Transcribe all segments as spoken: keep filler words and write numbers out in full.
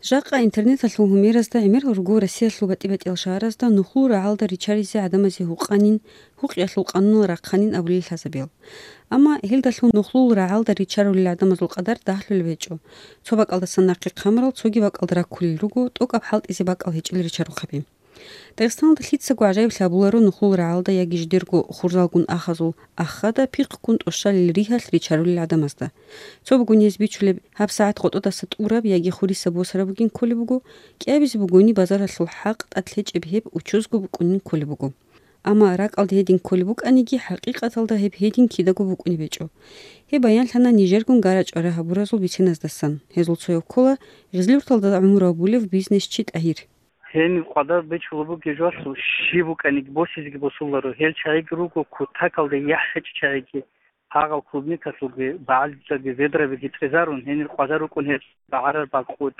Жакъа интернеталъул гьумеразда гӀемер руго Россиялъул батӀи-батӀиял шагьаразда нухлул рагӀалда ричаризе гӀадамазе гьукъанин, гьукъиялъул къануналъ рахъанин абулел лъазабиял. Амма гьелдалъун нухлул рагӀалда ричарулел гӀадамазул къадар дагьлъулеб гьечӀо. Цо бакӀалдасан нахъе хъамарал цоги бакӀалда раккулел руго, тӀокӀаб хӀалтӀизе бакӀал гьечӀел ричарухъаби. Дагъистаналда лъицаго гӀажаиблъи гьабуларо нухлул рагӀалда яги жидерго хурзалгун ахазул ахада пихъгун тӀощалел ригьалъ ричарулел гӀадамазда. Цо бугони гьез бичулеб гьабсагӀат гъотӀодаса тӀураб яги хурисаб босараб бугин кколеб буго, кӀиабизе бугони базаралъул хӀакъ тӀад лъечӀеб гьеб учузго букӀунин кколеб буго. Амма ракӀалде гьедин кколеб букӀаниги, хӀакъикъаталда гьеб гьедин кидаго букӀунеб гьечӀо. Гьеб баянлъана нижергун гарачӀвара гьабуразул бициназдасан. Гьезул цояв ккола Гъизлюрталда гӀумру гьабулев бизнесчи ТӀагьир. Гьениб къвадар бичулеб бугеб жоялъул щиб букӀаниги босизеги босуларо. Гьел чагӀиги руго кутакалда яхӀ гьечӀо чагӀиги, гьагъал клубникалъулги, багӀалдизаги, ведрабиги цӀезарун, гьенир къвадар рукӀун гьеб багӀарар бакъулъ.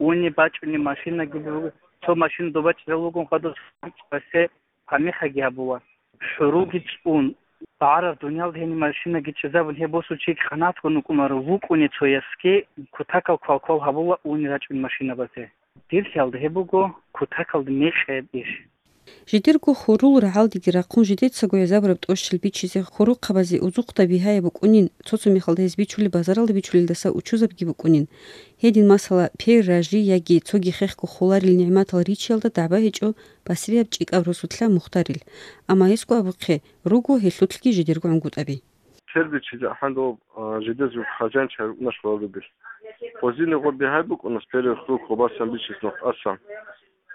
Уни бачӀуни машинаги буго, цо машина доба чӀезал вугун хадуб, гьасе памихаги гьабула. ХӀуруги цӀун, багӀарар дуниялда гьениб машинаги чӀезабун гьеб босул чиги къанагӀатгун вукӀунаро, вукӀуни цоясги кутакал квалквал гьабула уни рачӀун машинабазе. Дир лъалда гьеб буго кутакалда мекъаб иш. Жидерго хурул рагӀалдеги рахъун жидецаго гӀезабураб тӀощал бичизе хурухъабазе узухъда бигьаяб букӀунин, цо-цо мехалда гьез бичулеб базаралда бичулелдаса учузабги букӀунин. Гьедин, масала, пер ражи яги цоги хехго холарил нигӀматал ричиялда дагӀба гьечӀо басрияб чӀикӀаб росулъа мухтарил. Амма гьесго абухъе, руго гьелъулъги жидерго гӀунгутӀаби. Пер бичизе ахӀан доб, а, жидез жуг хъажанчи гьарукӀуна школалдубил. Гъозине гъор бигьай букӀуна, пер хурухъабасан бичиз нухтӀасан.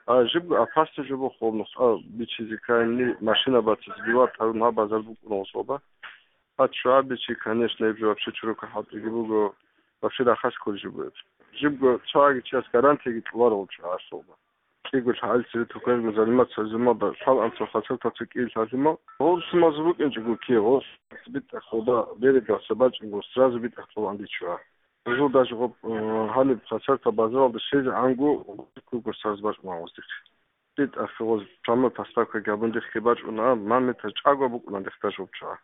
А жибго опасно жо бохъо нухтӀа бичизе ккани машина бацазе бивар тарун гьаб базар букӀуна гъособа. А чугӀа бичи, конечно, гьеб жо вообще чурука хӀалтӀиги буго, вообще рахас кколеб жо буго гьеб. Жибго цоги чияс гарантияги кьоларо гъоб чугӀасулба. КӀиго лъагӀел цере туканго заниматься гьабизабуна, лъал анцӀго хасартал цо кӀияб лъалъимал. Гъосумаз букӀинчӀого ккей, гъос битӀахъода береглъаса бачӀунго, сразу битӀахъ цӀолан бичуа. Гъозул даже гъоб, э, гьаниб хасартал базаралда щвезегӀанго куго саз бачӀуна гъосихъ. БитӀахъе гъоз прямой поставкаги гьабун дихъги бачӀуна, ман метр чӀаго букӀуна дихъ даже гъоб чуа.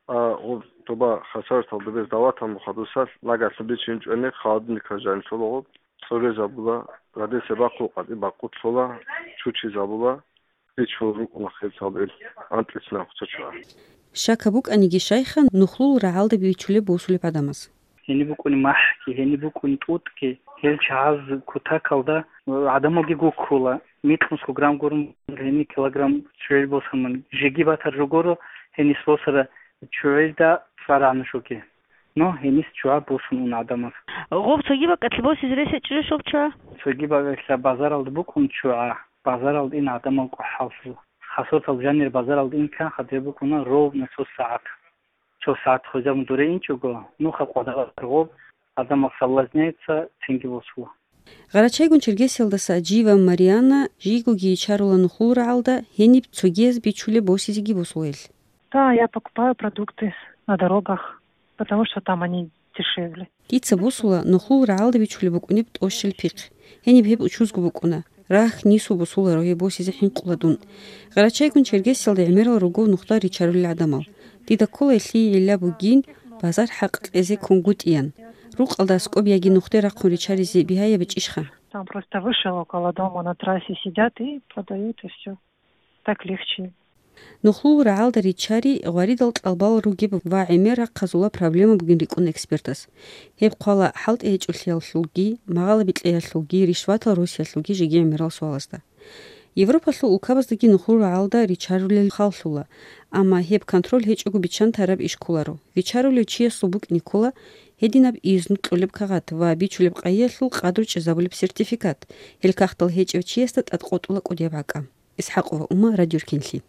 А, гъоб тоба хасартал добез даватал мухъадусал лагалъун бичинчӀони, холодильникал жанилъула гъоб, цӀогезабула, радеса бахъул къватӀи бакъулъула, чучизабула, бичул рукӀуна хиртал ил, анкьицина хъуцачуа. Щака букӀаниги щайха, нухлул рагӀалда бичулеб босулеб гӀадамаз. Гьениб букӀуни махӀги, гьениб букӀуни тӀутӀги, гьел чагӀаз кутакалда гӀадамалги гуккула, микьнусго грамм гурун гьениб килограмм чугӀил босамун, жеги батар жо гуро, гьенис босара чугӀилда цӀар гьанушуги. Но гьенис чугӀа босун уна гӀадамаз. Гъоб цоги бакӀалъе босизе рес гьечӀищ гъоб чугӀа? Цоги бакӀалъа базаралда букӀун чугӀа, базаралда ин гӀадамал къохӀаллъула. Хасартал жанир базаралда ин канха дир букӀуна ровно цо сагӀат. Цо сагӀат хвезабун дуре инчӀого, нуха къвадагъат гъоб, гӀадамал соблазняется, цинги босула. Гъарачайгун Черкесиялдаса Аджиева Марианна жийгоги йичарула нухлул рагӀалда, гьениб цогияз бичулеб босизеги босула гьел. Да, я покупаю продукты на дорогах, потому что там они дешевле. Дица босула нухлул рагӀалда бичулеб букӀунеб тӀощал пихъ. Гьениб гьеб учузго букӀуна. Рагь нису босуларо гьеб босизе хӀинкъула дун. Гъарачайгун Черкесиялда гӀемерал руго нухда ричарулел гӀадамал. Дида ккола гьелъие гӀилла бугин базар хӀакъ кьезе кунгутӀиян. Рукъалда аскӀоб яги нухде рахъун ричаризе бигьаяб гьечӀищха? Там просто вышел около дома на трассе сидят и продают, и всё. Так легче. Нухлул рагӀалда ричари гъваридал кьалбал ругеб ва гӀемер рахъазула проблема бугин рикӀкӀуна экспертас. Гьеб хъвала хӀалтӀи гьечӀолъиялъулги, магъала бикьиялъулги, ришватал росиялъулги жеги гӀемерал суалазда. Европалъул улкабаздаги нухлул рагӀалда ричарулел халлъула, амма гьеб контроль гьечӀого биччан тараб иш кколаро. Вичарулев чиясул букӀине ккола гьединаб изну кьолеб кагъат ва бичулеб къайиялъул къадру чӀезабулеб сертификат, гьел кагътал гьечӀев чиясда тӀадкъотӀула кӀудияб гӀакӀа. ИсхӀакъова Ума, Радио Ркенлъи.